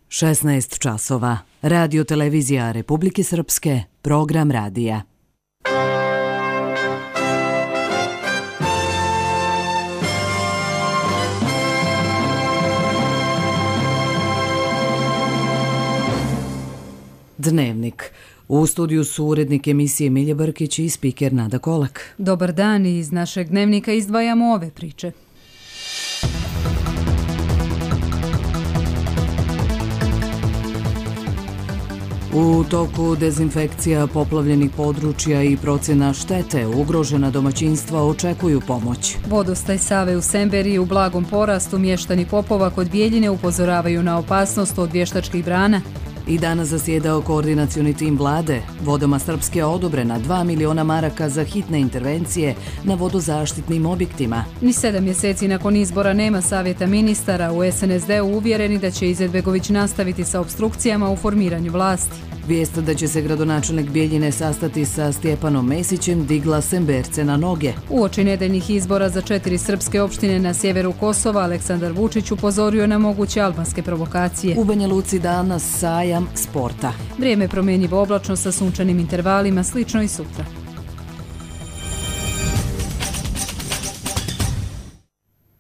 16 časova. Radio televizija Republike Srpske, program radija. Dnevnik. U studiju su urednik emisije Milje Brkić i spiker Nada Kolak. Dobar dan, i iz našeg dnevnika izdvajamo ove priče. U toku dezinfekcija poplavljenih područja i procjena štete, ugrožena domaćinstva očekuju pomoć. Vodostaj Save u Semberiji u blagom porastu, mještani Popova kod Bijeljine upozoravaju na opasnost od vještačkih brana. I danas zasjedao koordinacioni tim vlade. Vodama Srpske odobrena 2 miliona maraka za hitne intervencije na vodozaštitnim objektima. Ni 7 mjeseci nakon izbora nema savjeta ministara. U SNSD-u uvjereni da će Izetbegović nastaviti sa opstrukcijama u formiranju vlasti. Vijest da će se gradonačelnik Bijeljine sastati sa Stjepanom Mesićem digla Semberce na noge. Uoči nedeljnih izbora za 4 srpske opštine na sjeveru Kosova, Aleksandar Vučić upozorio na moguće albanske provokacije. U Banja Luci danas sajam sporta. Vrijeme promjenjivo oblačno sa sunčanim intervalima, slično i sutra.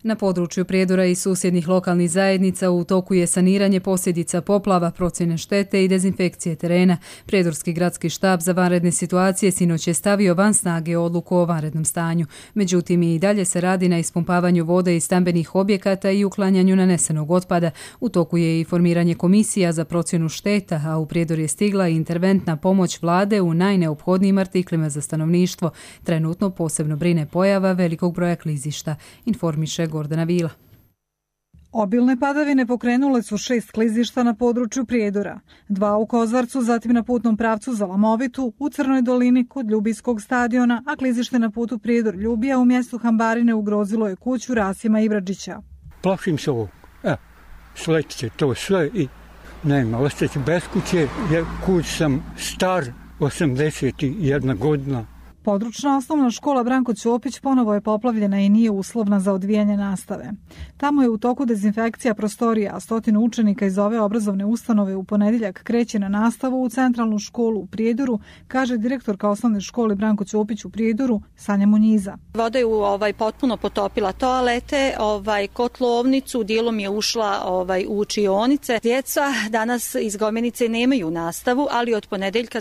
Na području Prijedora i susjednih lokalnih zajednica u toku je saniranje posljedica poplava, procjene štete i dezinfekcije terena. Prijedorski gradski štab za vanredne situacije sinoć je stavio van snage odluku o vanrednom stanju. Međutim, i dalje se radi na ispumpavanju vode iz stambenih objekata i uklanjanju nanesenog otpada. U toku je i formiranje komisija za procjenu šteta, a u Prijedor je stigla i interventna pomoć vlade u najneophodnijim artiklima za stanovništvo. Trenutno posebno brine pojava velikog broja klizišta, informiše Gordana Vila. Obilne padavine pokrenule su 6 klizišta na području Prijedora, 2 u Kozarcu, zatim na putnom pravcu za Lamovitu, u Crnoj dolini kod Ljubijskog stadiona, a klizište na putu Prijedor-Ljubija u mjestu Hambarine ugrozilo je kuću Rasima Ibradžića. Plašim se ovog. Sleće to sve i nema, ostaći bez kuće, jer kuć sam star, 81 godina. Područna osnovna škola Branko Ćopić ponovo je poplavljena i nije uslovna za odvijanje nastave. Tamo je u toku dezinfekcija prostorija, a 100 učenika iz ove obrazovne ustanove u ponedjeljak kreće na nastavu u centralnu školu u Prijedoru, kaže direktorka osnovne škole Branko Ćopić u Prijedoru, Sanja Munjiza. Voda je potpuno potopila toalete, kotlovnicu, dijelom je ušla u učionice. Djeca danas iz Gomenice nemaju nastavu, ali od ponedjeljka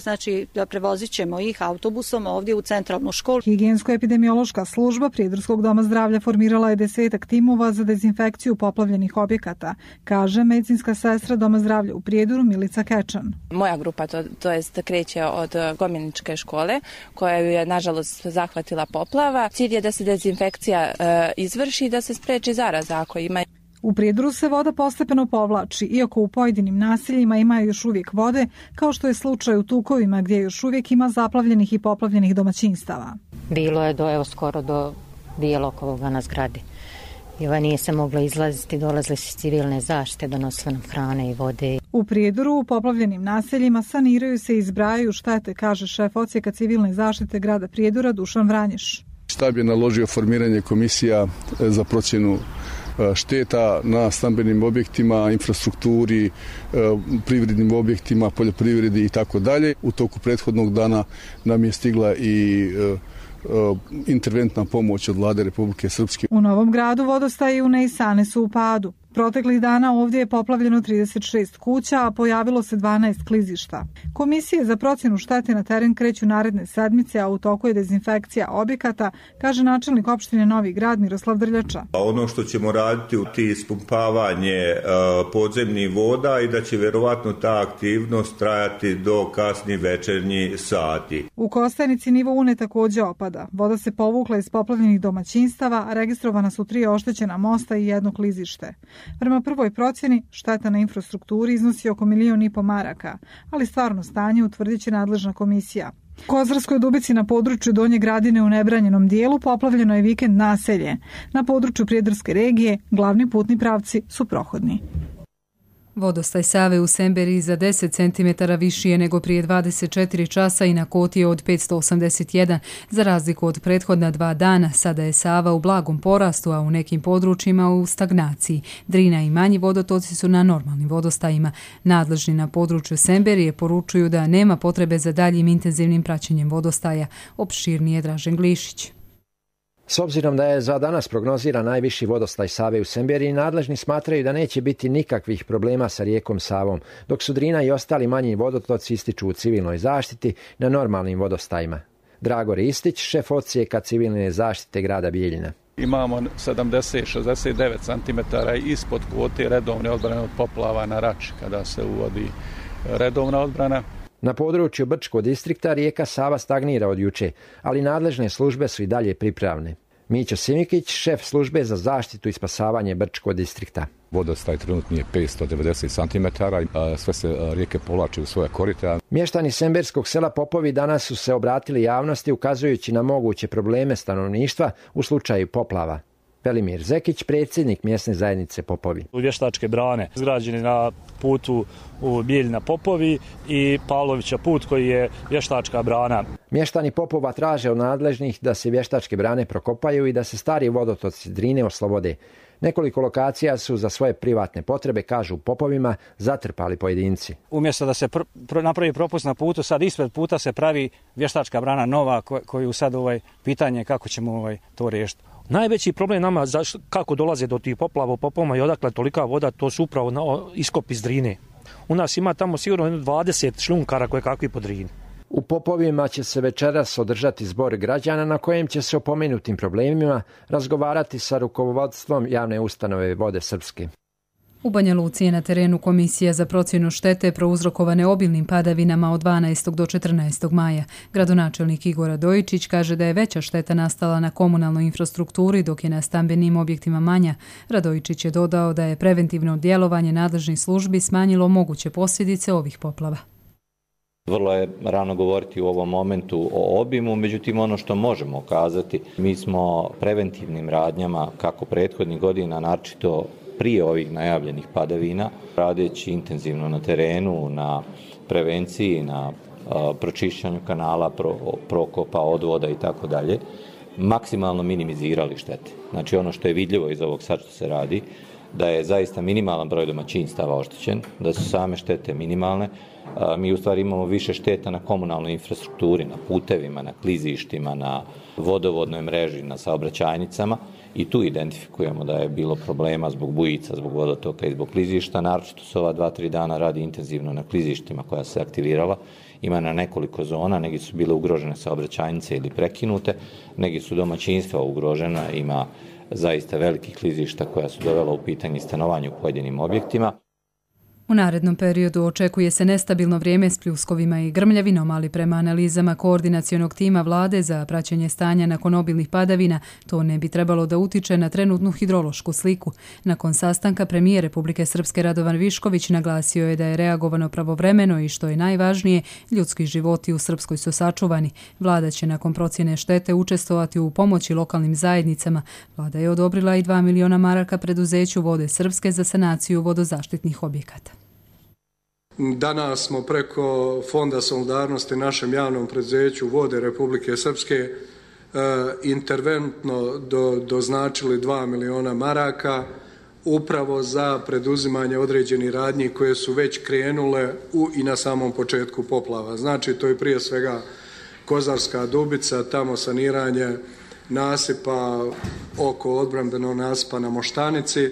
prevozit ćemo ih autobusom ovdje u centralnu školu. Higijensko-epidemiološka služba Prijedorskog doma zdravlja formirala je 10 timova za dezinfekciju poplavljenih objekata, kaže medicinska sestra Doma zdravlja u Prijedoru Milica Kečan. Moja grupa to jest kreće od Gomeničke škole, koja je nažalost zahvatila poplava. Cilj je da se dezinfekcija izvrši i da se spreči zaraza ako ima. U Prijedoru se voda postepeno povlači, iako u pojedinim naseljima ima još uvijek vode, kao što je slučaj u Tukovima gdje još uvijek ima zaplavljenih i poplavljenih domaćinstava. Bilo je skoro do bijelog ovoga na zgradi. I nije se moglo izlaziti, dolazile su civilne zaštite, donosile nam hrane i vode. U Prijedoru u poplavljenim naseljima saniraju se i zbrajaju štete, kaže šef odsjeka civilne zaštite grada Prijedora Dušan Vranješ. Štab je naložio formiranje komisija za procjenu šteta na stambenim objektima, infrastrukturi, privrednim objektima, poljoprivredi i tako dalje. U toku prethodnog dana nam je stigla i interventna pomoć od vlade Republike Srpske. U Novom Gradu vodostaji u Nejsane su u padu. Proteklih dana ovdje je poplavljeno 36 kuća, a pojavilo se 12 klizišta. Komisije za procjenu štete na teren kreću naredne sedmice, a u toku je dezinfekcija objekata, kaže načelnik opštine Novi Grad Miroslav Drljača. Ono što ćemo raditi u ti ispumpavanje podzemnih voda i da će vjerovatno ta aktivnost trajati do kasnih večernjih sati. U Kostajnici nivo Une također opada. Voda se povukla iz poplavljenih domaćinstava, a registrovana su 3 oštećena mosta i 1 klizište. Prema prvoj procjeni, šteta na infrastrukturi iznosi oko 1,5 miliona maraka, ali stvarno stanje utvrdit će nadležna komisija. U Kozarskoj Dubici na području Donje Gradine u nebranjenom dijelu poplavljeno je vikend naselje. Na području Prijedorske regije glavni putni pravci su prohodni. Vodostaj Save u Semberiji za 10 cm viši je nego prije 24 časa i na koti je od 581. Za razliku od prethodna 2 dana, sada je Sava u blagom porastu, a u nekim područjima u stagnaciji. Drina i manji vodotoci su na normalnim vodostajima. Nadležni na području Semberije poručuju da nema potrebe za daljim intenzivnim praćenjem vodostaja. Opširnije Dražen Glišić. S obzirom da je za danas prognoziran najviši vodostaj Save u Semberiji, nadležni smatraju da neće biti nikakvih problema sa rijekom Savom, dok su Drina i ostali manji vodotoci ističu u civilnoj zaštiti na normalnim vodostajima. Drago Ristić, šef odsjeka civilne zaštite grada Bijeljina. Imamo 70-69 cm ispod kvote redovne odbrane od poplava na Rači, kada se uvodi redovna odbrana. Na području Brčkog distrikta rijeka Sava stagnira od juče, ali nadležne službe su i dalje pripravne. Mićo Simikić, šef službe za zaštitu i spasavanje Brčkog distrikta. Vodostaj trenutni je 590 cm, sve se rijeke povlače u svoja korita. Mještani semberskog sela Popovi danas su se obratili javnosti ukazujući na moguće probleme stanovništva u slučaju poplava. Velimir Zekić, predsjednik mjesne zajednice Popovi. Vještačke brane izgrađene na putu u Bijeljina Popovi i Pavlovića put koji je vještačka brana. Mještani Popova traže od nadležnih da se vještačke brane prokopaju i da se stari vodotoci Drine oslobode. Nekoliko lokacija su za svoje privatne potrebe, kažu u Popovima, zatrpali pojedinci. Umjesto da se napravi propust na putu, sad ispred puta se pravi vještačka brana nova koju sad pitanje kako ćemo to riješiti. Najveći problem nama kako dolaze do tih poplava u Popovima i odakle tolika voda, to su upravo iskop iz Drine. U nas ima tamo sigurno 20 šljunkara koje kakvi po Drini. U Popovima će se večeras održati zbor građana na kojem će se o pomenutim problemima razgovarati sa rukovodstvom javne ustanove Vode Srpske. U Banja Luci je na terenu komisija za procjenu štete prouzrokovane obilnim padavinama od 12. do 14. maja. Gradonačelnik Igor Radojičić kaže da je veća šteta nastala na komunalnoj infrastrukturi, dok je na stambenim objektima manja. Radojičić je dodao da je preventivno djelovanje nadležnih službi smanjilo moguće posljedice ovih poplava. Vrlo je rano govoriti u ovom momentu o obimu, međutim ono što možemo kazati, mi smo preventivnim radnjama kako prethodnih godina, naročito prije ovih najavljenih padavina, radeći intenzivno na terenu, na prevenciji, na pročišćanju kanala, prokopa, odvoda i tako dalje, maksimalno minimizirali štete. Znači ono što je vidljivo iz ovog sad što se radi, da je zaista minimalan broj domaćinstava oštećen, da su same štete minimalne. Mi u stvari imamo više šteta na komunalnoj infrastrukturi, na putevima, na klizištima, na vodovodnoj mreži, na saobraćajnicama i tu identifikujemo da je bilo problema zbog bujica, zbog vodotoka i zbog klizišta. Naročito se ova 2-3 dana radi intenzivno na klizištima koja se aktivirala. Ima na nekoliko zona, negdje su bile ugrožene saobraćajnice ili prekinute, negdje su domaćinstva ugrožena, ima zaista velikih klizišta koja su dovela u pitanje stanovanje u pojedinim objektima. U narednom periodu očekuje se nestabilno vrijeme s pljuskovima i grmljavinom, ali prema analizama koordinacionog tima vlade za praćenje stanja nakon obilnih padavina, to ne bi trebalo da utiče na trenutnu hidrološku sliku. Nakon sastanka premijer Republike Srpske Radovan Višković naglasio je da je reagovano pravovremeno i što je najvažnije, ljudski životi u Srpskoj su sačuvani. Vlada će nakon procjene štete učestvovati u pomoći lokalnim zajednicama. Vlada je odobrila i 2 miliona maraka preduzeću Vode Srpske za sanaciju vodozaštitnih objekata. Danas smo preko Fonda solidarnosti našem javnom preduzeću Vode Republike Srpske interventno doznačili 2 miliona maraka upravo za preduzimanje određenih radnji koje su već krenule i na samom početku poplava. Znači to je prije svega Kozarska Dubica, tamo saniranje nasipa oko odbrambenog nasipa na Moštanici.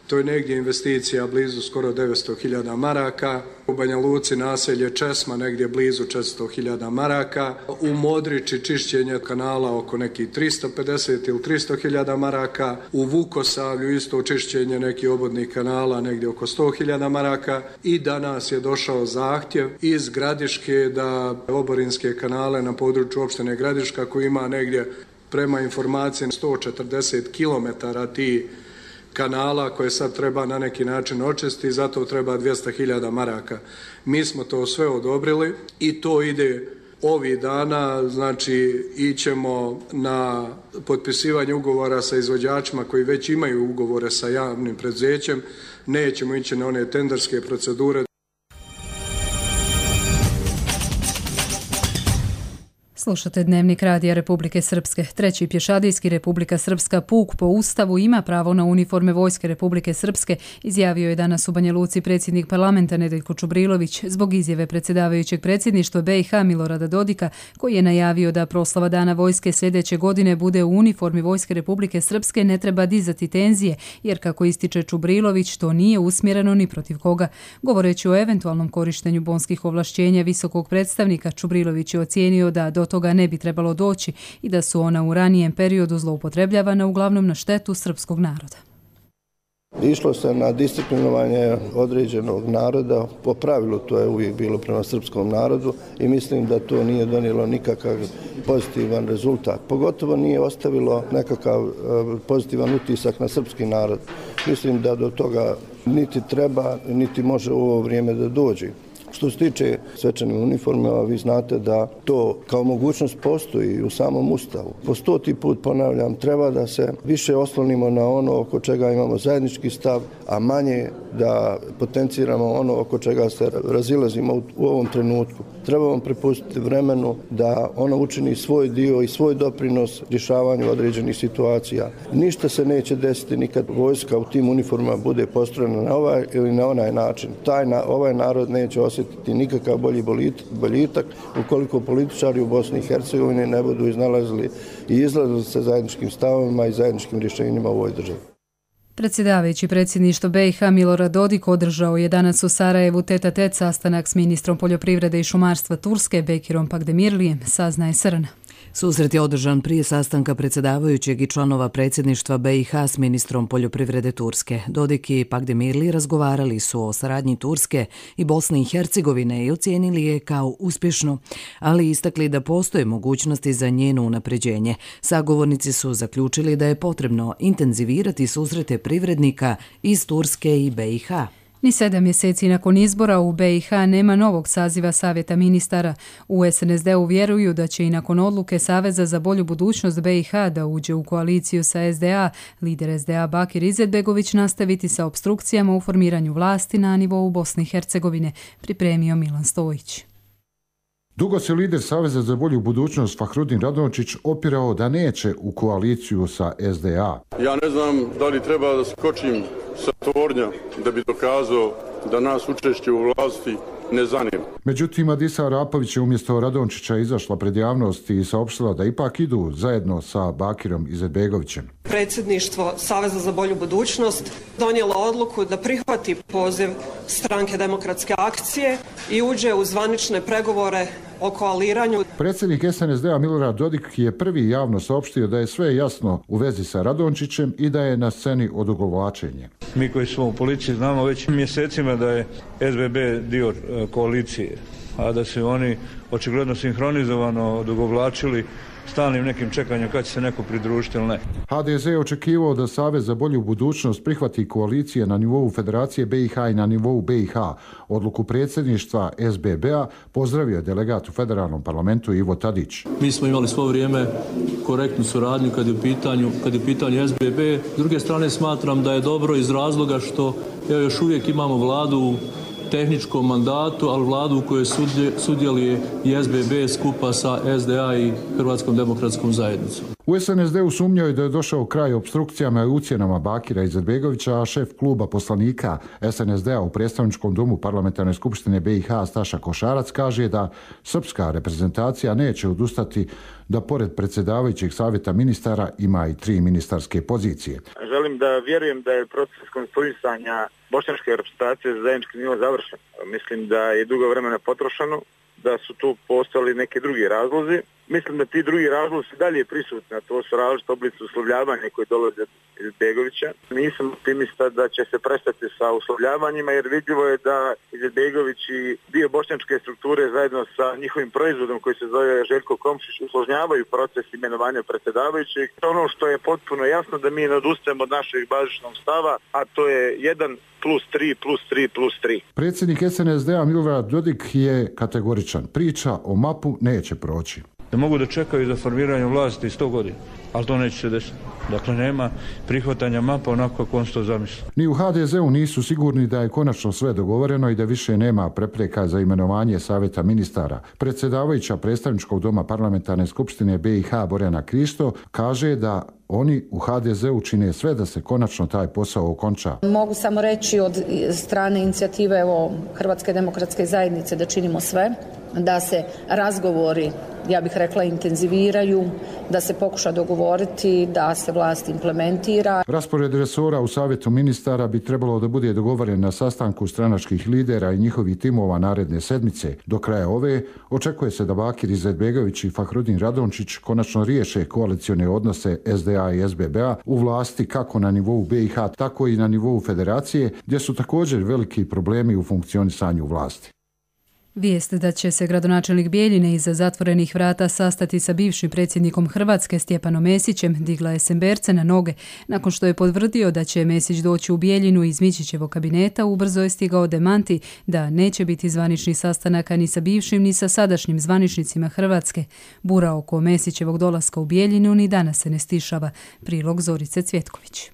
To je negdje investicija blizu skoro 900.000 maraka. U Banja Luci naselje Česma negdje blizu 400.000 maraka. U Modriči čišćenje kanala oko nekih 350 ili 300.000 maraka. U Vukosavlju isto čišćenje nekih obodnih kanala negdje oko 100.000 maraka. I danas je došao zahtjev iz Gradiške da oborinske kanale na području opštine Gradiška koji ima negdje prema informacijama 140 km ti kanala koje sad treba na neki način očistiti, zato treba 200.000 maraka. Mi smo to sve odobrili i to ide ovih dana, znači ićemo na potpisivanje ugovora sa izvođačima koji već imaju ugovore sa javnim preduzećem nećemo ići na one tenderske procedure. Slušate Dnevnik Radija Republike Srpske. Treći pješadijski Republika Srpska puk po Ustavu ima pravo na uniforme Vojske Republike Srpske, izjavio je danas u Banja Luci predsjednik parlamenta Nedeljko Čubrilović zbog izjave predsjedavajućeg predsjedništva BiH Milorada Dodika, koji je najavio da proslava Dana vojske sljedeće godine bude u uniformi Vojske Republike Srpske. Ne treba dizati tenzije, jer kako ističe Čubrilović, to nije usmjereno ni protiv koga. Govoreći o eventualnom korištenju bonskih ovlašćenja visokog predstavnika, Čubrilović je ocijenio da do toga ne bi trebalo doći i da su ona u ranijem periodu zloupotrebljavana uglavnom na štetu srpskog naroda. Išlo se na disciplinovanje određenog naroda, po pravilu to je uvijek bilo prema srpskom narodu i mislim da to nije donijelo nikakav pozitivan rezultat. Pogotovo nije ostavilo nekakav pozitivan utisak na srpski narod. Mislim da do toga niti treba, niti može u ovo vrijeme da dođe. Što se tiče svečanih uniforma, vi znate da to kao mogućnost postoji u samom Ustavu. Po 100. put ponavljam, treba da se više oslonimo na ono oko čega imamo zajednički stav, a manje da potenciramo ono oko čega se razilazimo u ovom trenutku. Trebamo prepustiti vremenu da ono učini svoj dio i svoj doprinos rješavanju određenih situacija. Ništa se neće desiti nikad vojska u tim uniformama bude postrojena na ovaj ili na onaj način. Ovaj narod neće osjetiti nikakav bolji boljitak ukoliko političari u Bosni i Hercegovini ne budu iznalazili i izlazili se zajedničkim stavovima i zajedničkim rješenjima u ovoj državi. Predsjedavajući predsjedništvo BiH Milorad Dodik održao je danas u Sarajevu tet-a-tet sastanak s ministrom poljoprivrede i šumarstva Turske Bekirom Pakdemirlijem, saznaje Srna. Susret je održan prije sastanka predsjedavajućeg i članova predsjedništva BiH s ministrom poljoprivrede Turske. Dodik i Pakdemirli razgovarali su o saradnji Turske i Bosne i Hercegovine i ocijenili je kao uspješno, ali istakli da postoje mogućnosti za njeno unapređenje. Sagovornici su zaključili da je potrebno intenzivirati susrete privrednika iz Turske i BiH. Ni 7 mjeseci nakon izbora u BiH nema novog saziva Savjeta ministara. U SNSD-u vjeruju da će i nakon odluke Saveza za bolju budućnost BiH da uđe u koaliciju sa SDA, lider SDA Bakir Izetbegović nastaviti sa opstrukcijama u formiranju vlasti na nivou Bosne i Hercegovine, pripremio Milan Stojić. Dugo se lider Saveza za bolju budućnost Fahrudin Radončić opirao da neće u koaliciju sa SDA. Ja ne znam da li treba da skočim sa tornja da bi dokazao da nas učešće u vlasti ne zanima. Međutim, Adisa Arapović je umjesto Radončića izašla pred javnost i saopštila da ipak idu zajedno sa Bakirom Izetbegovićem. Predsjedništvo Saveza za bolju budućnost donijelo odluku da prihvati poziv Stranke demokratske akcije i uđe u zvanične pregovore o koaliranju. Predsjednik SNSD-a Milorad Dodik je prvi javno saopštio da je sve jasno u vezi sa Radončićem i da je na sceni odugovlačenje. Mi koji smo u policiji znamo već mjesecima da je SBB dio koalicije, a da se oni očigledno sinhronizovano odugovlačili stalnim nekim čekanjem kad će se neko pridružiti ili ne. HDZ je očekivao da Savez za bolju budućnost prihvati koalicije na nivou Federacije BiH i na nivou BiH. Odluku predsjedništva SBB-a pozdravio delegat u federalnom parlamentu Ivo Tadić. Mi smo imali svo vrijeme korektnu suradnju kad je u pitanju SBB. S druge strane smatram da je dobro iz razloga što još uvijek imamo vladu u tehničkom mandatu, ali vladu u kojoj sudjeluje i SBB skupa sa SDA i Hrvatskom demokratskom zajednicom. U SNSD-u sumnjaju da je došao kraj opstrukcijama i ucjenama Bakira Izetbegovića, a šef kluba poslanika SNSD-a u predstavničkom domu parlamentarne skupštine BiH Staša Košarac kaže da srpska reprezentacija neće odustati da pored predsjedavajućeg savjeta ministara ima i 3 ministarske pozicije. Želim da vjerujem da je proces konstituisanja bošnjačke reprezentacije za zajednički nivo završen. Mislim da je dugo vremena potrošeno, da su tu postojali neki drugi razlozi. Mislim da ti drugi razlozi su dalje prisutni, a to su različite oblici uslovljavanja koji dolaze iz Begovića. Nisam optimista da će se prestati sa uslovljavanjima, jer vidljivo je da Izetbegović i dio bošnjačke strukture zajedno sa njihovim proizvodom koji se zove Željko Komšić usložnjavaju proces imenovanja predsjedavajućeg. Ono što je potpuno jasno da mi ne odustajemo od našeg bazičnog stava, a to je 1+3+3+3. Predsjednik SNSD-a Milorad Dodik je kategoričan. Priča o MAP-u neće proći. da mogu da čekaju za formiranje vlasti 100 godina, ali to neće se desiti. Dakle, nema prihvatanja mapa onako kako on se to zamisli. Ni u HDZ-u nisu sigurni da je konačno sve dogovoreno i da više nema prepreka za imenovanje savjeta ministara. Predsjedavajuća predstavničkog doma parlamentarne skupštine BiH Borjana Krišto kaže da oni u HDZ-u čine sve da se konačno taj posao okonča. Mogu samo reći od strane inicijative Hrvatske demokratske zajednice da činimo sve, da se razgovori, ja bih rekla, intenziviraju, da se pokuša dogovoriti, da se vlast implementira. Raspored resora u savjetu ministara bi trebalo da bude dogovoren na sastanku stranačkih lidera i njihovih timova naredne sedmice. Do kraja ove očekuje se da Bakir Izetbegović i Fahrudin Radončić konačno riješe koalicione odnose SDA i SBB-a u vlasti kako na nivou BiH, tako i na nivou federacije, gdje su također veliki problemi u funkcionisanju vlasti. Vijest da će se gradonačelnik Bijeljine iza zatvorenih vrata sastati sa bivšim predsjednikom Hrvatske Stjepanom Mesićem digla je Semberce na noge. Nakon što je potvrdio da će Mesić doći u Bijeljinu iz Mičićevog kabineta, ubrzo je stigao demanti da neće biti zvaničnih sastanaka ni sa bivšim ni sa sadašnjim zvaničnicima Hrvatske. Bura oko Mesićevog dolaska u Bijeljinu ni danas se ne stišava. Prilog Zorice Cvjetković.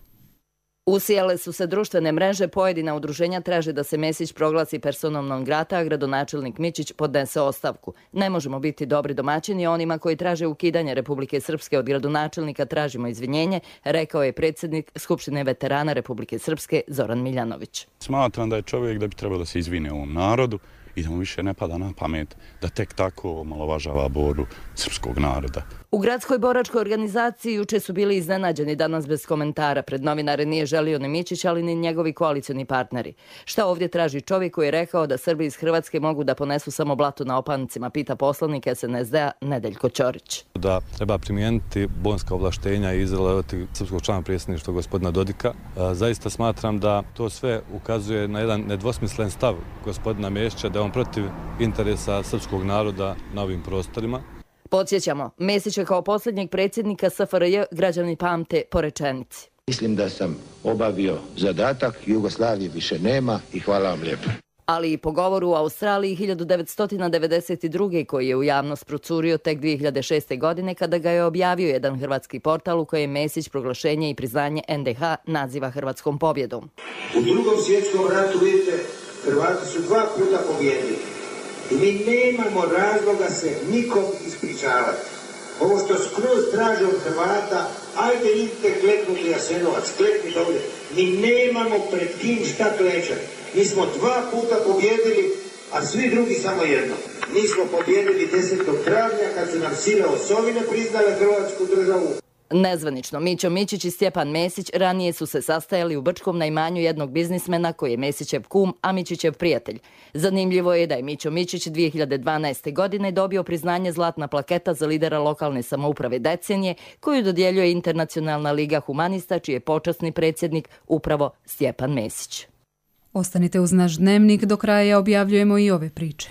Usijale su se društvene mreže, pojedina udruženja traže da se Mesić proglasi personom non grata, a gradonačelnik Mičić podnese ostavku. Ne možemo biti dobri domaćini, onima koji traže ukidanje Republike Srpske od gradonačelnika tražimo izvinjenje, rekao je predsjednik Skupštine veterana Republike Srpske Zoran Miljanović. Smatram da je čovjek da bi trebao da se izvine ovom narodu i da mu više ne pada na pamet da tek tako omalovažava borbu srpskog naroda. U gradskoj boračkoj organizaciji juče su bili iznenađeni, danas bez komentara. Pred novinare nije želio ni Mičić, ali ni njegovi koalicioni partneri. Šta ovdje traži čovjek koji je rekao da Srbi iz Hrvatske mogu da ponesu samo blato na opancima, pita poslanik SNSD-a Nedeljko Ćorić. Da treba primijeniti bonska ovlaštenja i izraditi srpskog člana predsjedništva gospodina Dodika. Zaista smatram da to sve ukazuje na jedan nedvosmislen stav gospodina Mesića, da je on protiv interesa srpskog naroda na ovim prostorima. Podsjećamo, Mesića kao posljednjeg predsjednika SFRJ građani pamte po rečenici. Mislim da sam obavio zadatak, Jugoslavije više nema i hvala vam lijepo. Ali i po govoru u Australiji 1992. koji je u javnost procurio tek 2006. godine kada ga je objavio jedan hrvatski portal u kojem Mesić proglašenje i priznanje NDH naziva hrvatskom pobjedom. U Drugom svjetskom ratu, vidite, Hrvati su 2 puta pobjedili. I mi nemamo razloga se nikom ispričavati. Ovo što skroz traže od Hrvata, ajde idite kleknuti Jasenovac, kleknite ovdje. Mi nemamo pred kim šta klečati. Mi smo 2 puta pobjedili, a svi drugi samo jedno. Mi smo pobjedili 10. travnja kad su nam sile osovine priznale Hrvatsku državu. Nezvanično, Mićo Mičić i Stjepan Mesić ranije su se sastajali u Brčkom na imanju jednog biznismena koji je Mesićev kum, a Mičićev prijatelj. Zanimljivo je da je Mićo Mičić 2012. godine dobio priznanje Zlatna plaketa za lidera lokalne samouprave decenije, koju dodjeljuje Internacionalna liga humanista, čiji je počasni predsjednik upravo Stjepan Mesić. Ostanite uz naš dnevnik, do kraja objavljujemo i ove priče.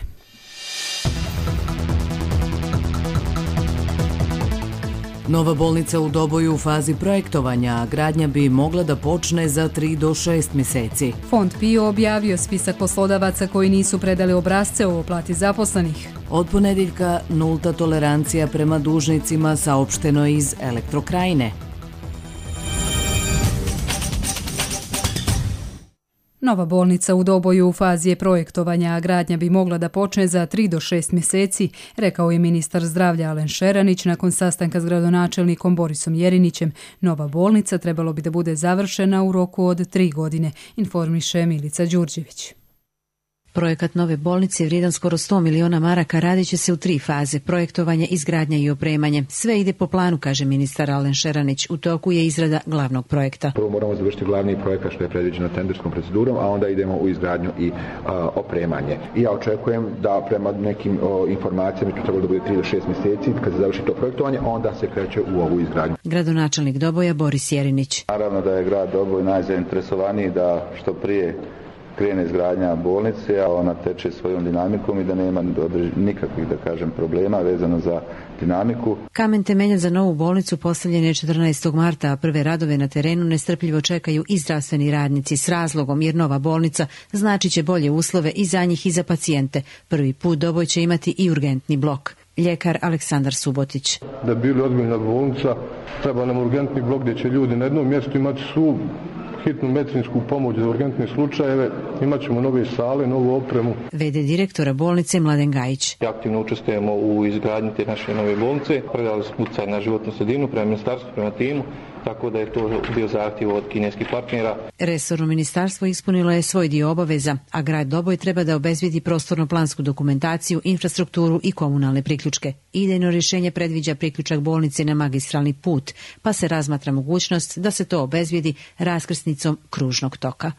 Nova bolnica u Doboju u fazi projektovanja, a gradnja bi mogla da počne za 3 do 6 mjeseci. Fond PIO objavio spisak poslodavaca koji nisu predali obrasce o plati zaposlenih. Od ponedjeljka nulta tolerancija prema dužnicima, saopšteno iz Elektrokrajine. Nova bolnica u Doboju u fazi je projektovanja, a gradnja bi mogla da počne za 3 do 6 mjeseci, rekao je ministar zdravlja Alen Šeranić nakon sastanka s gradonačelnikom Borisom Jerinićem. Nova bolnica trebalo bi da bude završena u roku od 3 godine, informiše Milica Đurđević. Projekat nove bolnice vrijedan skoro 100 miliona maraka radit će se u 3 faze, projektovanje, izgradnja i opremanje. Sve ide po planu, kaže ministar Alen Šeranić. U toku je izrada glavnog projekta. Prvo moramo završiti glavni projekat što je predviđeno tenderskom procedurom, a onda idemo u izgradnju i opremanje. I ja očekujem da prema nekim informacijama to trebalo da bude 3 do 6 mjeseci, kad se završi to projektovanje, onda se kreće u ovu izgradnju. Gradonačelnik Doboja Boris Jerinić. Naravno da je grad Doboj najzainteresovaniji da što prije krene izgradnja bolnice, a ona teče svojom dinamikom i da nema nikakvih, da kažem, problema vezano za dinamiku. Kamen temeljac za novu bolnicu postavljen je 14. marta, a prve radove na terenu nestrpljivo čekaju i zdravstveni radnici s razlogom, jer nova bolnica znači će bolje uslove i za njih i za pacijente. Prvi put Doboj će imati i urgentni blok. ljekar Aleksandar Subotić. Da bi bili ozbiljna bolnica, treba nam urgentni blok gdje će ljudi na jednom mjestu imati svu hitnu medicinsku pomoć za urgentne slučajeve, imat ćemo nove sale, novu opremu. VD direktora bolnice Mladen Gajić. Aktivno učestvujemo u izgradnji te naše nove bolnice, predali smo utjecaj na životnu sredinu prema ministarstvu, prema timu, tako da je to bio zahtjev od kineskih partnera. Resorno ministarstvo ispunilo je svoj dio obaveza, a grad Doboj treba da obezbedi prostorno-plansku dokumentaciju, infrastrukturu i komunalne priključke. Idejno rješenje predviđa priključak bolnice na magistralni put, pa se razmatra mogućnost da se to obezbedi raskrsnicom kružnog toka.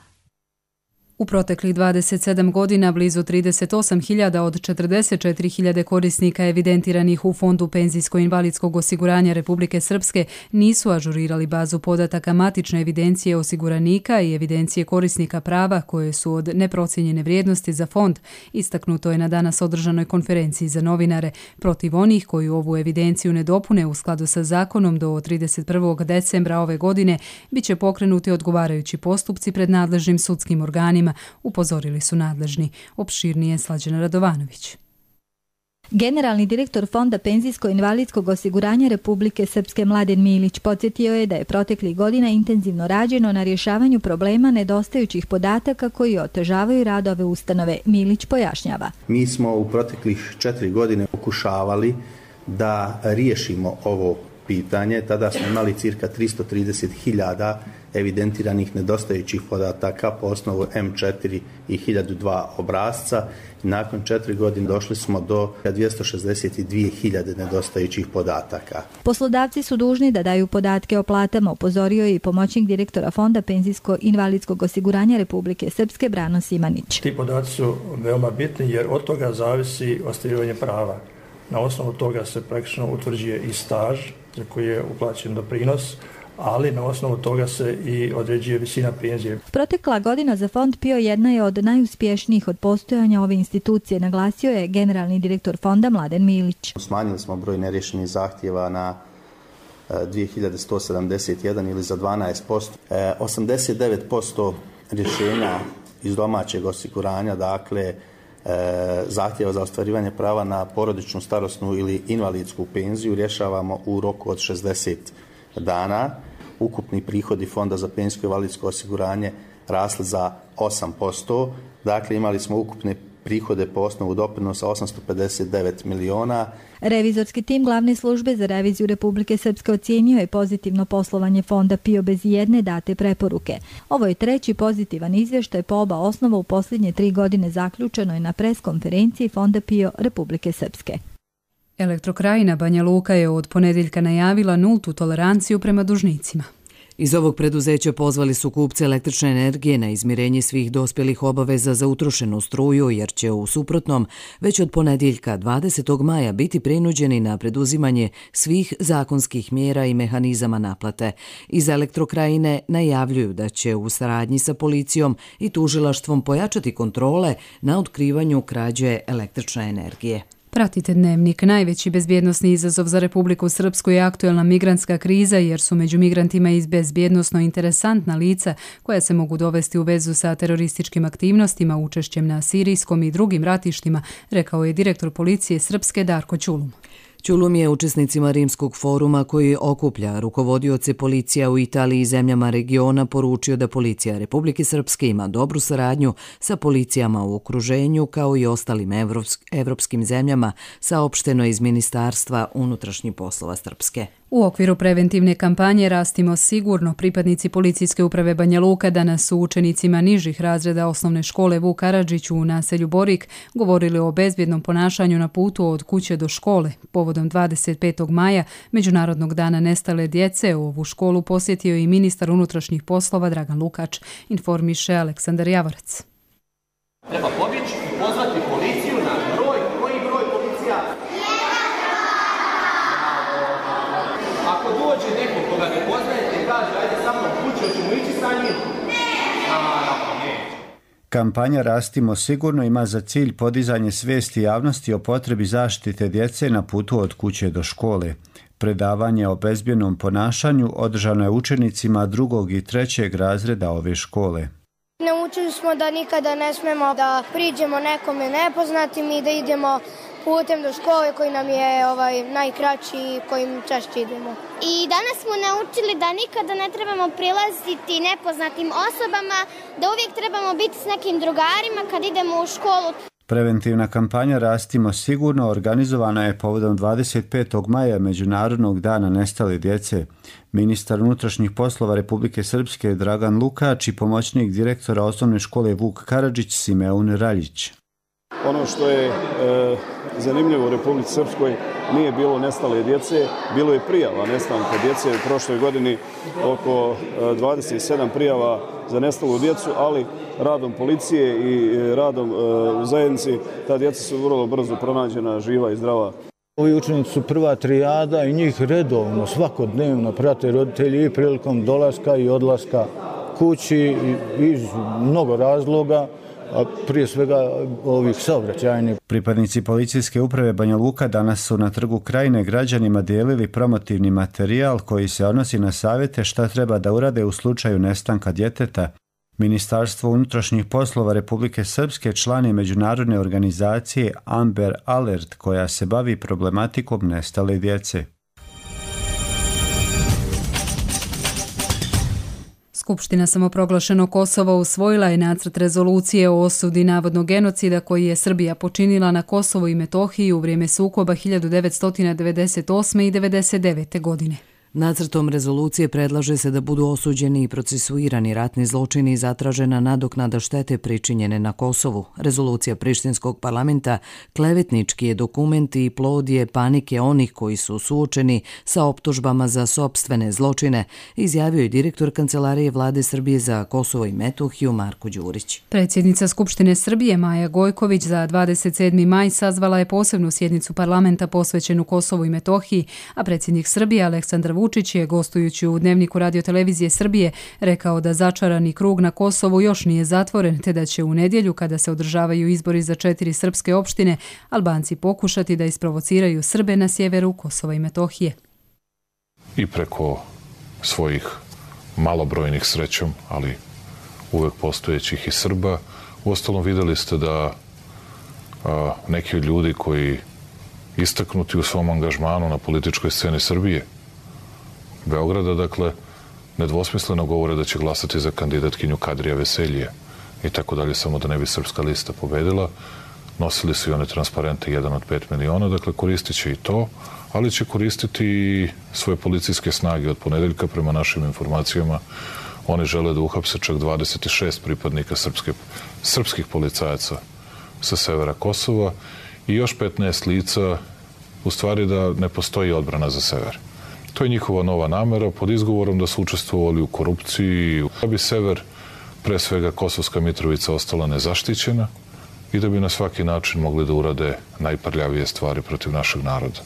U proteklih 27 godina blizu 38.000 od 44.000 korisnika evidentiranih u Fondu penzijsko-invalidskog osiguranja Republike Srpske nisu ažurirali bazu podataka matične evidencije osiguranika i evidencije korisnika prava koje su od neprocijenjene vrijednosti za fond. Istaknuto je na danas održanoj konferenciji za novinare. Protiv onih koji ovu evidenciju ne dopune u skladu sa zakonom do 31. decembra ove godine biće pokrenuti odgovarajući postupci pred nadležnim sudskim organima, upozorili su nadležni. Opširnije Slađana Radovanović. Generalni direktor Fonda penzijsko-invalidskog osiguranja Republike Srpske Mladen Milić podsjetio je da je proteklih godina intenzivno rađeno na rješavanju problema nedostajućih podataka koji otežavaju rad ove ustanove. Milić pojašnjava. Mi smo u proteklih 4 godine pokušavali da riješimo ovo pitanje. Tada smo imali cirka 330.000 evidentiranih nedostajućih podataka po osnovu M4 i 1002 obrasca. Nakon 4 godine došli smo do 262.000 nedostajućih podataka. Poslodavci su dužni da daju podatke o platama, upozorio je i pomoćnik direktora Fonda penzijsko-invalidskog osiguranja Republike Srpske Brano Simanić. Ti podaci su veoma bitni jer od toga zavisi ostvarivanje prava. Na osnovu toga se praktično utvrđuje i staž za koji je uplaćen doprinos, ali na osnovu toga se i određuje visina penzije. Protekla godina za Fond PIO jedna je od najuspješnijih od postojanja ove institucije, naglasio je generalni direktor Fonda Mladen Milić. Smanjili smo broj nerješenih zahtjeva na 2171 ili za 12%. 89% rješenja iz domaćeg osiguranja, dakle zahtjeva za ostvarivanje prava na porodičnu, starosnu ili invalidsku penziju rješavamo u roku od 60 dana. Ukupni prihodi Fonda za penzijsko i invalidsko osiguranje rasli za 8%. Dakle, imali smo ukupne prihode po osnovu doprinosa 859 miliona. Revizorski tim glavne službe za reviziju Republike Srpske ocijenio je pozitivno poslovanje Fonda PIO bez jedne date preporuke. Ovo je treći pozitivan izvještaj po oba osnova u posljednje 3 godine zaključeno je na preskonferenciji Fonda PIO Republike Srpske. Elektrokrajina Banja Luka je od ponedjeljka najavila nultu toleranciju prema dužnicima. Iz ovog preduzeća pozvali su kupce električne energije na izmirenje svih dospjelih obaveza za utrošenu struju, jer će u suprotnom već od ponedjeljka 20. maja biti prinuđeni na preduzimanje svih zakonskih mjera i mehanizama naplate. Iz Elektrokrajine najavljuju da će u saradnji sa policijom i tužilaštvom pojačati kontrole na otkrivanju krađe električne energije. Pratite Dnevnik. Najveći bezbjednosni izazov za Republiku Srpsku je aktuelna migrantska kriza, jer su među migrantima i bezbjednosno interesantna lica koja se mogu dovesti u vezu sa terorističkim aktivnostima, učešćem na sirijskom i drugim ratištima, rekao je direktor policije Srpske Darko Ćulum. Ćulum je učesnicima Rimskog foruma koji okuplja rukovodioce policija u Italiji i zemljama regiona poručio da policija Republike Srpske ima dobru saradnju sa policijama u okruženju kao i ostalim evropskim zemljama, saopšteno iz Ministarstva unutrašnjih poslova Srpske. U okviru preventivne kampanje Rastimo sigurno, pripadnici policijske uprave Banja Luka danas su učenicima nižih razreda osnovne škole Vuk Karadžić u naselju Borik govorili o bezbjednom ponašanju na putu od kuće do škole. Povodom 25. maja, Međunarodnog dana nestale djece, ovu školu posjetio i ministar unutrašnjih poslova Dragan Lukač, informiše Aleksandar Javorac. Treba pobjeći i pozvati policiju na broj. Koji broj policija? Ako dođe neko koga ne poznajete i kaže ajde sa mnom kući, hoćemo ići sa njim? Kampanja Rastimo sigurno ima za cilj podizanje svijesti javnosti o potrebi zaštite djece na putu od kuće do škole. Predavanje o bezbjednom ponašanju održano je učenicima 2. i 3. razreda ove škole. Naučili smo da nikada ne smemo da priđemo nekome nepoznatim i da idemo putem do škole koji nam je najkraći i kojim češće idemo. I danas smo naučili da nikada ne trebamo prilaziti nepoznatim osobama, da uvijek trebamo biti s nekim drugarima kad idemo u školu. Preventivna kampanja Rastimo sigurno organizovana je povodom 25. maja Međunarodnog dana nestale djece. Ministar unutrašnjih poslova Republike Srpske Dragan Lukač i pomoćnik direktora osnovne škole Vuk Karadžić Simeon Raljić. Ono što je zanimljivo u Republici Srpskoj, nije bilo nestale djece, bilo je prijava nestanka djece u prošloj godini, oko 27 prijava za nestalu djecu, ali radom policije i radom u zajednici ta djeca su vrlo brzo pronađena, živa i zdrava. Ovi učenici su prva trijada i njih redovno, svakodnevno prate roditelji i prilikom dolaska i odlaska kući iz mnogo razloga, a prije svega ovih saobraćajnih. Pripadnici policijske uprave Banja Luka danas su na Trgu Krajine građanima dijelili promotivni materijal koji se odnosi na savjete šta treba da urade u slučaju nestanka djeteta. Ministarstvo unutrašnjih poslova Republike Srpske član je međunarodne organizacije Amber Alert koja se bavi problematikom nestale djece. Skupština samoproglašenog Kosova usvojila je nacrt rezolucije o osudi navodnog genocida koji je Srbija počinila na Kosovu i Metohiji u vrijeme sukoba 1998. i 1999. godine. Nacrtom rezolucije predlaže se da budu osuđeni i procesuirani ratni zločini i zatražena nadoknada štete pričinjene na Kosovu. Rezolucija Prištinskog parlamenta klevetnički je dokument i plod je panike onih koji su suočeni sa optužbama za sopstvene zločine, izjavio je direktor Kancelarije Vlade Srbije za Kosovo i Metohiju Marko Đurić. Predsjednica Skupštine Srbije Maja Gojković za 27. maj sazvala je posebnu sjednicu parlamenta posvećenu Kosovu i Metohiji, a predsjednik Srbije Aleksandar Vučić je, gostujući u Dnevniku radiotelevizije Srbije, rekao da začarani krug na Kosovu još nije zatvoren, te da će u nedjelju, kada se održavaju izbori za 4 srpske opštine, Albanci pokušati da isprovociraju Srbe na sjeveru Kosova i Metohije. I preko svojih malobrojnih, srećom, ali uvek postojećih i Srba. Uostalom vidjeli ste da neki od ljudi koji istaknuti u svom angažmanu na političkoj sceni Srbije, Beograda, dakle, nedvosmisleno govore da će glasati za kandidatkinju Kadrija Veselije i tako dalje, samo da ne bi Srpska lista pobedila. Nosili su i one transparente 1 od 5 miliona, dakle koristit će i to, ali će koristiti i svoje policijske snage. Od ponedeljka, prema našim informacijama, oni žele da uhapse čak 26 pripadnika srpskih policajaca sa severa Kosova i još 15 lica, u stvari da ne postoji odbrana za sever. To je njihova nova namera pod izgovorom da su učestvovali u korupciji, da bi sever, pre svega Kosovska Mitrovica, ostala nezaštićena i da bi na svaki način mogli da urade najprljavije stvari protiv našeg naroda.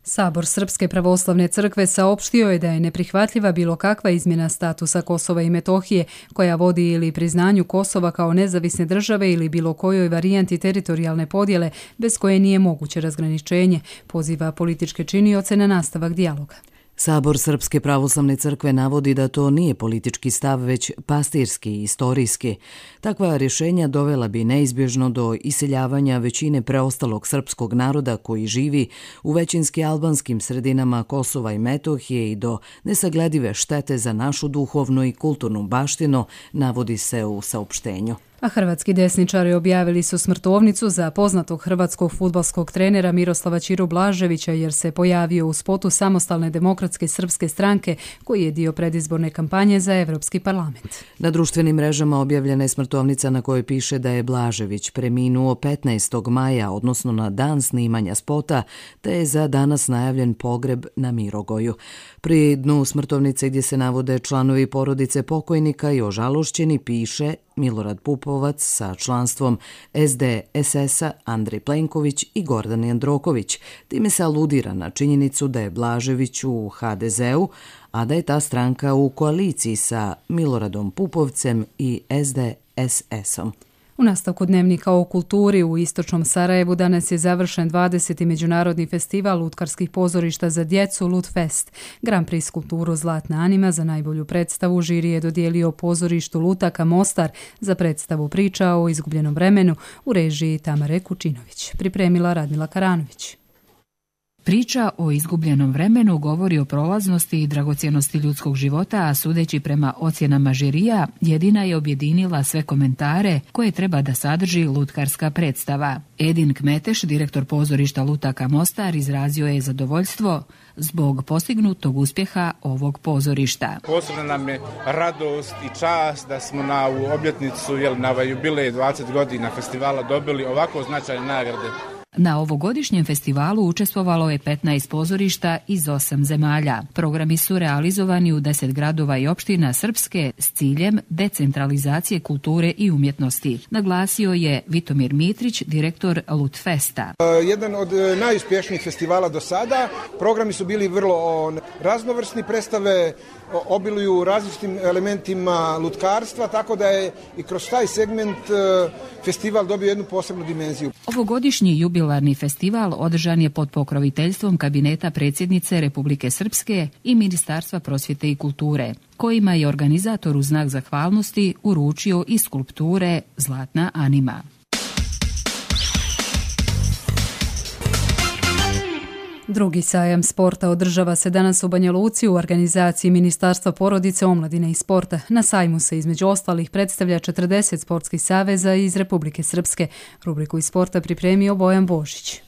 Sabor Srpske pravoslavne crkve saopštio je da je neprihvatljiva bilo kakva izmjena statusa Kosova i Metohije koja vodi ili priznanju Kosova kao nezavisne države ili bilo kojoj varijanti teritorijalne podjele bez koje nije moguće razgraničenje, poziva političke činioce na nastavak dijaloga. Sabor Srpske pravoslavne crkve navodi da to nije politički stav, već pastirski i istorijski. Takva rješenja dovela bi neizbježno do iseljavanja većine preostalog srpskog naroda koji živi u većinski albanskim sredinama Kosova i Metohije i do nesagledive štete za našu duhovnu i kulturnu baštinu, navodi se u saopštenju. A hrvatski desničari objavili su smrtovnicu za poznatog hrvatskog fudbalskog trenera Miroslava Ćiru Blaževića jer se pojavio u spotu Samostalne demokratske srpske stranke koji je dio predizborne kampanje za Evropski parlament. Na društvenim mrežama objavljena je smrtovnica na kojoj piše da je Blažević preminuo 15. maja, odnosno na dan snimanja spota, te je za danas najavljen pogreb na Mirogoju. Pri dnu smrtovnice gdje se navode članovi porodice pokojnika i ožalošćeni piše Milorad Pupovac sa članstvom SDSS-a, Andrej Plenković i Gordan Jandroković. Time se aludira na činjenicu da je Blažević u HDZ-u, a da je ta stranka u koaliciji sa Miloradom Pupovcem i SDSS-om. U nastavku dnevnika o kulturi u istočnom Sarajevu danas je završen 20. međunarodni festival lutkarskih pozorišta za djecu Lutfest. Grand Prix kulturu Zlatna Anima za najbolju predstavu žiri je dodijelio pozorištu Lutaka Mostar za predstavu priča o izgubljenom vremenu u režiji Tamare Kučinović. Pripremila Radmila Karanović. Priča o izgubljenom vremenu govori o prolaznosti i dragocjenosti ljudskog života, a sudeći prema ocjenama žirija, jedina je objedinila sve komentare koje treba da sadrži lutkarska predstava. Edin Kmeteš, direktor pozorišta Lutaka Mostar, izrazio je zadovoljstvo zbog postignutog uspjeha ovog pozorišta. Posebno nam je radost i čast da smo na ovu obljetnicu, na jubilej 20 godina festivala dobili ovako značajne nagrade. Na ovogodišnjem festivalu učestvovalo je 15 pozorišta iz 8 zemalja. Programi su realizovani u 10 gradova i opština Srpske s ciljem decentralizacije kulture i umjetnosti, naglasio je Vitomir Mitrić, direktor Lutfesta. Jedan od najuspješnijih festivala do sada. Programi su bili vrlo raznovrsni, predstave obiluju različitim elementima lutkarstva, tako da je i kroz taj segment festival dobio jednu posebnu dimenziju. Ovogodišnji jubilarni festival održan je pod pokroviteljstvom kabineta predsjednice Republike Srpske i Ministarstva prosvjete i kulture, kojima je organizator u znak zahvalnosti uručio i skulpture Zlatna Anima. Drugi sajam sporta održava se danas u Banja Luci u organizaciji Ministarstva porodice, omladine i sporta. Na sajmu se između ostalih predstavlja 40 sportskih saveza iz Republike Srpske. Rubriku iz sporta pripremio Bojan Božić.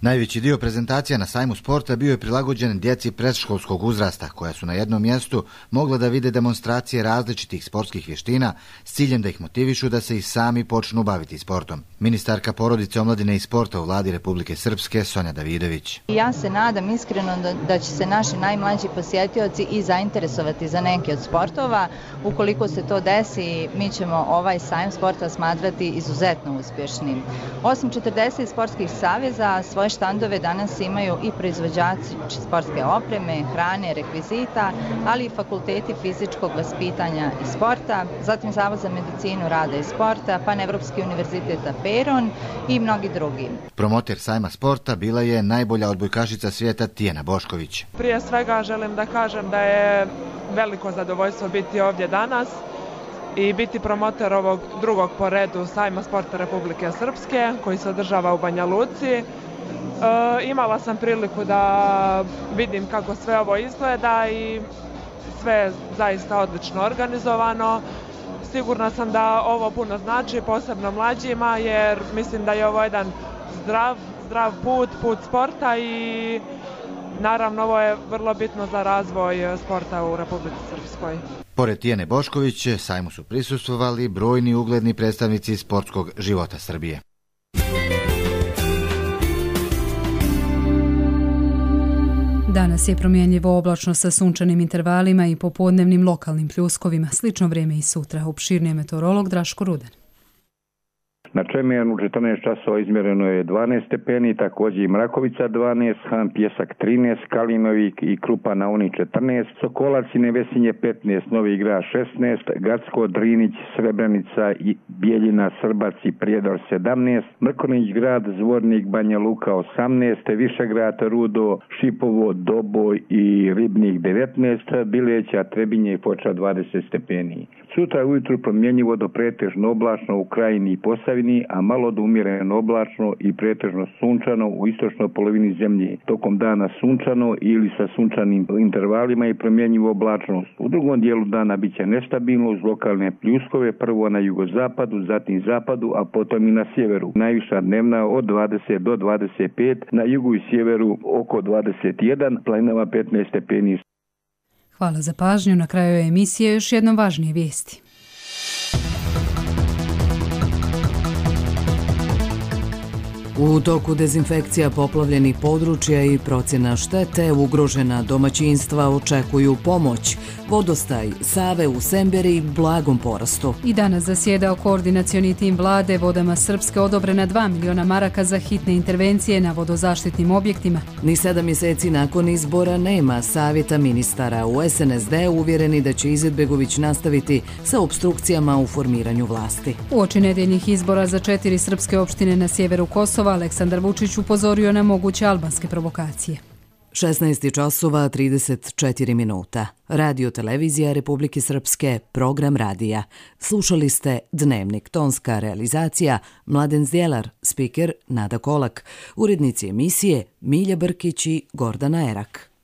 Najveći dio prezentacija na sajmu sporta bio je prilagođen djeci predškolskog uzrasta, koja su na jednom mjestu mogla da vide demonstracije različitih sportskih vještina s ciljem da ih motivišu da se i sami počnu baviti sportom. Ministarka porodice, omladine i sporta u Vladi Republike Srpske, Sonja Davidović. Ja se nadam iskreno da će se naši najmlađi posjetioci i zainteresovati za neki od sportova. Ukoliko se to desi, mi ćemo ovaj sajam sporta smatrati izuzetno uspješnim. Osim 40 sportskih saveza, svoje štandove danas imaju i proizvođači sportske opreme, hrane, rekvizita, ali i fakulteti fizičkog vaspitanja i sporta, zatim Zavod za medicinu, rada i sporta, Panevropski univerzitet Aperon i mnogi drugi. Promoter sajma sporta bila je najbolja odbojkašica svijeta Tijana Bošković. Prije svega želim da kažem da je veliko zadovoljstvo biti ovdje danas i biti promoter ovog drugog po redu sajma sporta Republike Srpske koji se održava u Banja Luci. Imala sam priliku da vidim kako sve ovo izgleda i sve je zaista odlično organizovano. Sigurna sam da ovo puno znači, posebno mlađima, jer mislim da je ovo jedan zdrav put sporta i naravno ovo je vrlo bitno za razvoj sporta u Republici Srpskoj. Pored Tijene Bošković, sajmu su prisustvovali brojni ugledni predstavnici sportskog života Srbije. Danas je promjenjivo oblačno sa sunčanim intervalima i popodnevnim lokalnim pljuskovima. Slično vrijeme i sutra. Opširniji meteorolog Draško Ruden. Na Čemijanu u 14 časova izmjereno je 12 stepeni, također i Mrakovica 12, Han Pjesak 13, Kalinovi i Krupa na Uni 14, Sokolac i Nevesinje 15, Novi Grad 16, Gacko, Drinić, Srebrenica i Bijeljina, Srbac i Prijedor 17, Mrkonić grad, Zvornik, Banja Luka 18, Višegrad, Rudo, Šipovo, Doboj i Ribnik 19, Bileća, Trebinje i Foča 20 stepeni. Sutra ujutru promjenjivo do pretežno oblačno u Krajini i Posavini, a malo do umjereno oblačno i pretežno sunčano u istočnoj polovini zemlje. Tokom dana sunčano ili sa sunčanim intervalima i promjenjivo oblačnost. U drugom dijelu dana bit će nestabilno uz lokalne pljuskove, prvo na jugozapadu, zatim zapadu, a potom i na sjeveru. Najviša dnevna od 20 do 25, na jugu i sjeveru oko 21, planinama 15 stepeni. Hvala za pažnju. Na kraju emisije još jednom važnije vijesti. U toku dezinfekcija poplavljenih područja i procjena štete, ugrožena domaćinstva očekuju pomoć. Vodostaj Save u Semberi blagom porastu. I danas zasjedao koordinacioni tim vlade vodama Srpske odobrena 2 miliona maraka za hitne intervencije na vodozaštitnim objektima. Ni 7 mjeseci nakon izbora nema savjeta ministara. U SNSD uvjereni da će Izetbegović nastaviti sa opstrukcijama u formiranju vlasti. Uoči nedjeljnih izbora za 4 srpske opštine na sjeveru Kosova, Aleksandar Vučić upozorio na moguće albanske provokacije. 16 časova 34 minuta. Radio televizija Republike Srpske, program radija. Slušali ste Dnevnik, tonska realizacija Mladen Zdjelar, spiker Nada Kolak, urednici emisije Milja Brkić i Gordana Erak.